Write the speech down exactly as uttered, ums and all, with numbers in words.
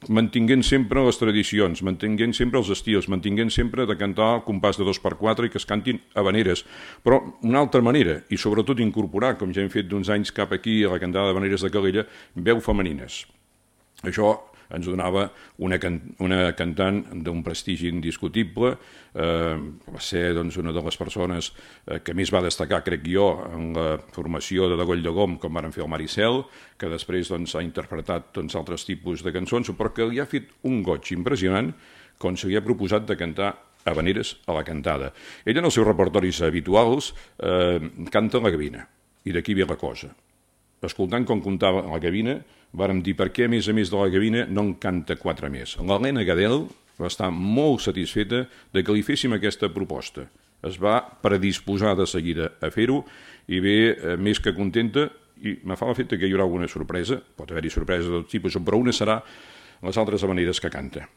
mantinguent sempre les tradicions, mantinguent sempre els estils, mantinguent sempre de cantar al compàs de dos per quatre i que es cantin habaneres, però una altra manera, i sobretot incorporar, com ja hem fet d'uns anys cap aquí a la cantada d'habaneres de Calella, veu femenines. Això ens donava una, can una cantant d'un prestigi indiscutible, eh, va ser doncs, una de les persones eh, que més va destacar, crec jo, en la formació de Degoll de Gom, com varen fer el Maricel, que després doncs, ha interpretat doncs, altres tipus de cançons, però que li ha fet un goig impressionant quan se li ha proposat de cantar habaneres a la cantada. Ella, en els seus repertoris habituals, eh, canta la gavina, i d'aquí ve la cosa. Escoltant com comptava la gavina, vàrem dir per què, a més a més de la gavina, no en canta quatre més. L'Helena Gadel va estar molt satisfeta de que li féssim aquesta proposta. Es va predisposar de seguida a fer-ho i ve eh, més que contenta, i me fa l'efecte que hi haurà alguna sorpresa, pot haver-hi sorpreses de tot tipus, però una serà les altres habaneres que canta.